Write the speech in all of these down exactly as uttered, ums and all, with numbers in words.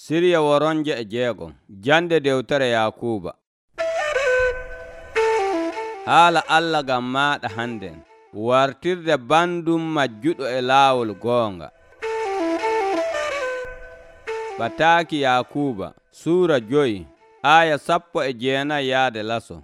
Sirya woronje e jeegom. Jande dewtere Yakuuba. Haala Allah gam maaɗa hannden. Wartirde bandum majjuɗo e laawol goonga. Bataaki Yakuuba suura joyi aya sappo e jeenayi yaade laso.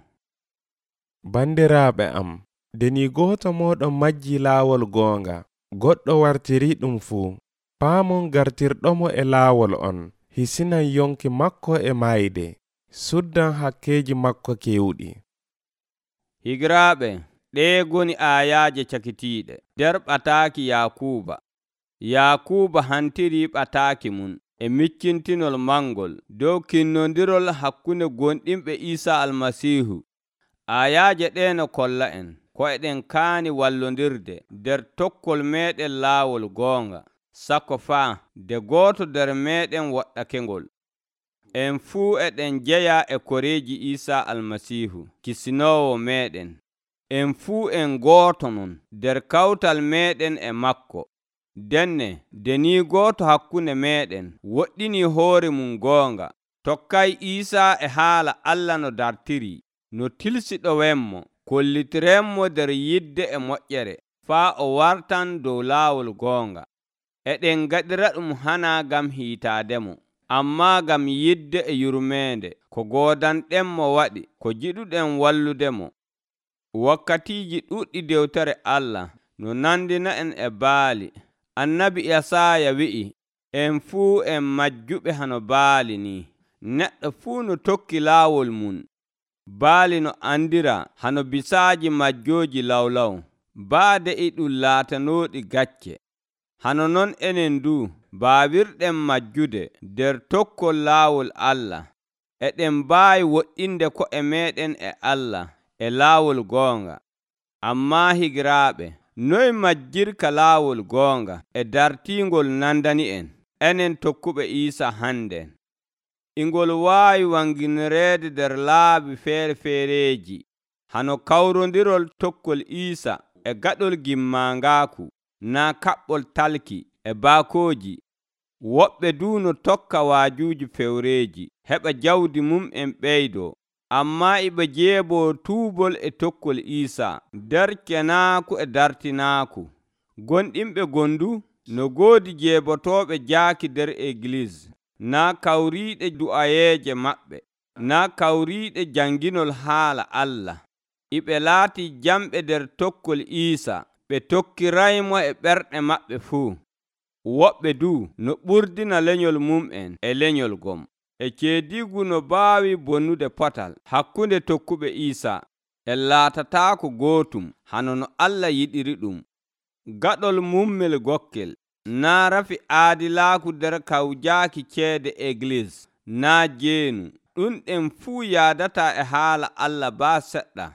Bandiraaɓe am, deni gooto mooɗon majji laawol goonga, goɗɗo wartiri ɗum fuu, paamon gartirɗomo e laawol on, hisinan yonki makko e mayde, suddan hakkeeji makko kewɗi. Higiraaɓe, ɗee goni aayaaje cakitiiɗe nder ɓataaki Yakuuba. Yakuuba hantiri ɓataaki mum e miccintinol mangol dow kinnondirol hakkunde gonɗinɓe Iisaa Almasiihu. Aayaaje ɗe no kolla en ko eɗen kaani wallondirde nder tokkol meɗen laawol goonga, sakko faa de gooto nder meɗen woɗɗakengol. En fuu eɗen jeya e koreeji Iisaa Almasiihu kisinoowo meɗen. En fuu en gooto non nder kawtal meɗen e makko. Denne deni gooto hakkunde meɗen woɗɗini hoore mum goonga, tokkay Iisaa e haala Allah no dartiri, no tilsiɗowenmo, kollitirenmo nder yidde e moƴƴere, faa o wartan dow laawol goonga. Eɗen gaɗira ɗum hana gam hiitaademo, amma gam yidde e yurmeende ko goodanɗenmo waɗi ko jiɗuɗen walludemo. Wakkatiiji ɗuɗɗi dewtere Allah no nandina en e baali. Annabi Yasaaya wi'i, en fuu en majjuɓe hano baali ni. Neɗɗo fuu no tokki laawol mum. Baali no andira hano bisaaji majjooji lawlaw, baade e ɗum laatanooɗi gacce. Hano non enen du baawirɗen majjude nder tokkol laawol Allah. Eɗen mbaawi woɗɗinde ko'e meɗen e Allah e laawol goonga. Amma higiraaɓe, noy majjirka laawol goonga e dartingol nandani en, enen tokkuɓe Iisaa hannden? Ingol waawi wanginireede nder laabi feere-feereeji, hano kawrondirol tokkol Iisaa e gaɗol gimmangaaku, naa kaɓɓol talki e baakooji. Woɓɓe du no tokka waajuuji fewreeji, heɓa jawdi mum en ɓeydoo, amma iɓe jeeboo tuubol e tokkol Iisaa nder kenaaku e dartinaaku. Gonɗinɓe gondu no goodi jeebotooɓe jaaki nder Egliis, naa kawriiɗe du'ayeeje maɓɓe, naa kawriiɗe janginol haala Allah. Iɓe laati jamɓe nder tokkol Iisaa, ɓe tokkiraymo e ɓerɗe maɓɓe fuu. Woɓɓe du no ɓurdina lenyol mum'en e lenyol gom, e ceedigu no baawi bonnude potal hakkunde tokkuɓe Iisaa, e laatataako gootum hano no Allah yiɗiri ɗum. Gaɗol mummel gokkel, naa rafi aadilaaku nder kawjaaki ceede Egliis, naa jeenu. Ɗum ɗen fuu yaadata e haala Allah baa seɗɗa.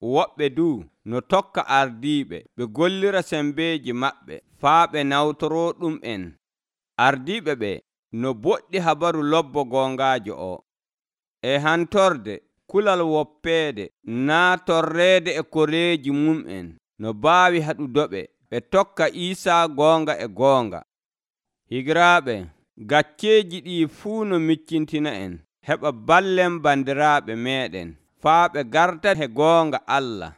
Woɓɓe du no tokka ardiiɓe ɓe gollira sembeeji maɓɓe faa ɓe nawtoroo ɗum en. Ardiiɓe ɓe no boɗɗi habaru lobbo goongaajo o, e hantorde kulal woppeede, naa torreede e koreeji mum'en no baawi haɗudoɓe ɓe tokka Iisaa goonga e goonga. Higiraaɓe, gacceeji ɗi fuu no miccintina en, heɓa ballen bandiraaɓe meɗen, faa ɓe garta he goonga Allah.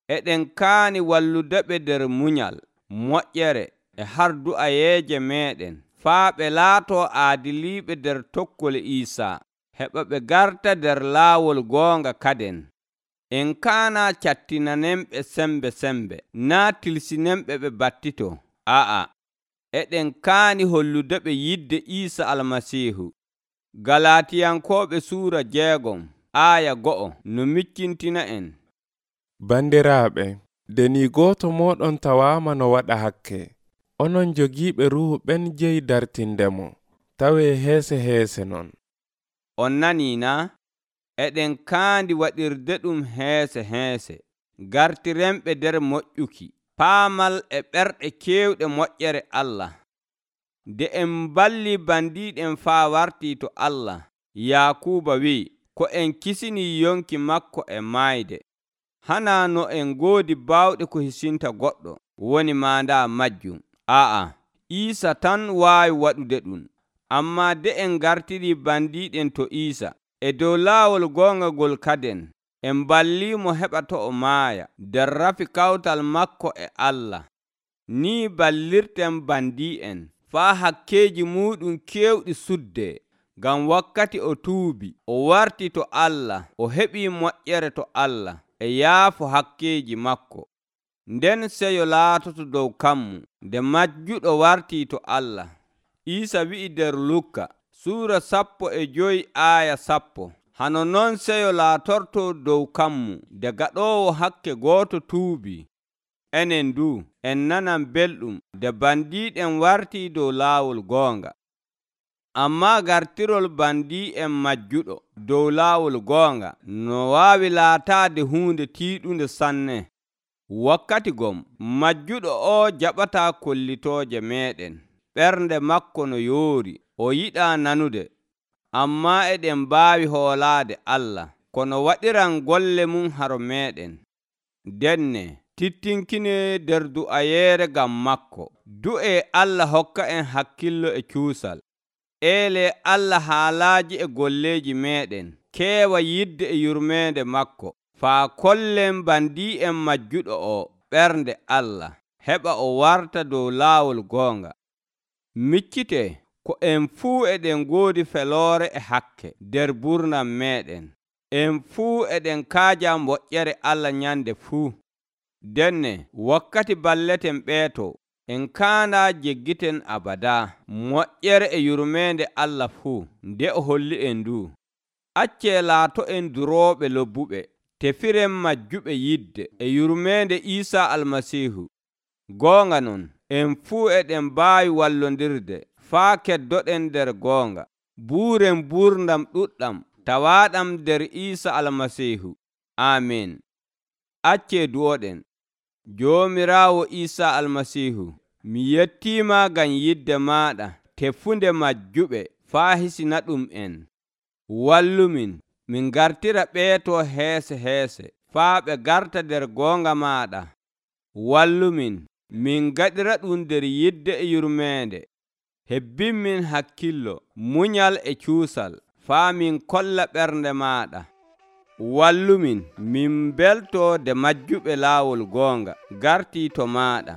Eɗen kaani walludeɓe nder munyal, moƴƴere e har du'ayeeje meɗen, faa ɓe laatoo aadiliiɓe nder tokkol Iisaa, heɓa ɓe garta nder laawol goonga kaden. En kaana cattinanemɓe sembe sembe, naa tilsinemɓe ɓe battito. A'a, eɗen kaani holludeɓe yidde Iisaa Almasiihu. Galatiyankooɓe suura jeegom aya go'o no miccintina en. Bandiraaɓe, deni gooto mooɗon tawaama no waɗa hakke, onon jogiiɓe ruuhu ɓen jeyi dartindemo, tawee heese heese non. On nanii na? Eɗen kaandi waɗirde ɗum heese heese, gartirenɓe nder moƴƴuki, paamal e ɓerɗe keewɗe moƴƴere Allah. Nde en balli bandiiɗen faa wartii to Allah, Yakuuba wi'i, ko en kisinii yonki makko e maayde. Hana no en goodi baawɗe ko hisinta goɗɗo, woni maandaa majjum. Aa, Iisaa tan waawi waɗude ɗum. Ammaa de en gartirii bandiiɗen to Iisa e dow laawol goonga ngol kaden, en balliimo heɓa to o maaya nder rafi kawtal makko e Allah. Nii ballirten bandii'en faa hakkeeji muuɗum keewɗi suddee, ngam wakkati o tuubi o warti to Allah o heɓii moƴƴere to Allah e yaafo hakkeeji makko. Nden seyo laatoto dow kammu nde majjuɗo wartii to Allah. Iisa wi'i nder Lukka suura sappo e joyi aaya sappo, hano non seyo laatortoo dow kammu nde gaɗoowo hakke gooto tuubii. Enen du en nanan belɗum nde bandiiɗen wartii dow laawol goonga. Ammaa gartirol bandii'en majjuɗo dow laawol goonga no waawi laataade huunde tiiɗunde sanne. Wakkati gom majjuɗo o jaɓataa kollitooje meeɗen, ɓernde makko no yoori, o yiɗaa nanude. Ammaa eɗen mbaawi hoolaade Allah kono waɗiran golle mum haro meeɗen. Denne tittinkinee nder du'ayeere ngam makko. Du'ee Allah hokka en hakkillo e cuusal. Eelee Allah haalaaji e golleeji meeɗen keewa yidde e yurmeende makko, faa kollen bandii'en majjuɗo o ɓernde Allah, heɓa o warta dow laawol goonga. Miccitee ko en fuu eɗen ngoodi feloore e hakke nder burnam meeɗen. En fuu eɗen kaaja moƴƴere Allah nyande fuu. Denne wakkati balleten ɓeeto, en kaanaa jeggiten abadaa moƴƴere e yurmeende Allah fuu nde o holli en ndu. Accee laato en durooɓe lobbuɓe, tefiren majjuɓe yidde e yurmeende Iisaa Almasiihu. Goonga non, en fuu eɗen mbaawi wallondirde faa keddoɗen nder goonga. Buuren buurdam ɗuɗɗam tawaaɗam nder Iisaa Almasiihu. Aamin. Accee du'oɗen. Joomiraawo Iisaa Almasiihu, mi yettiima ngam yidde maaɗa tefunde majjuɓe faa hisina ɗum en. Wallumin min gartira ɓeeto heese heese faa ɓe garta nder goonga maaɗa. Wallumin min gaɗira ɗum nder yidde e yurmeende. Hebbinmin hakkillo, munyal e cuusal faa min kolla ɓernde maaɗa. Wallumin min beltoo de majjuɓe laawol goonga gartii to maaɗa.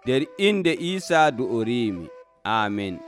Nder inde Iisaa du'oriimi. Aamin.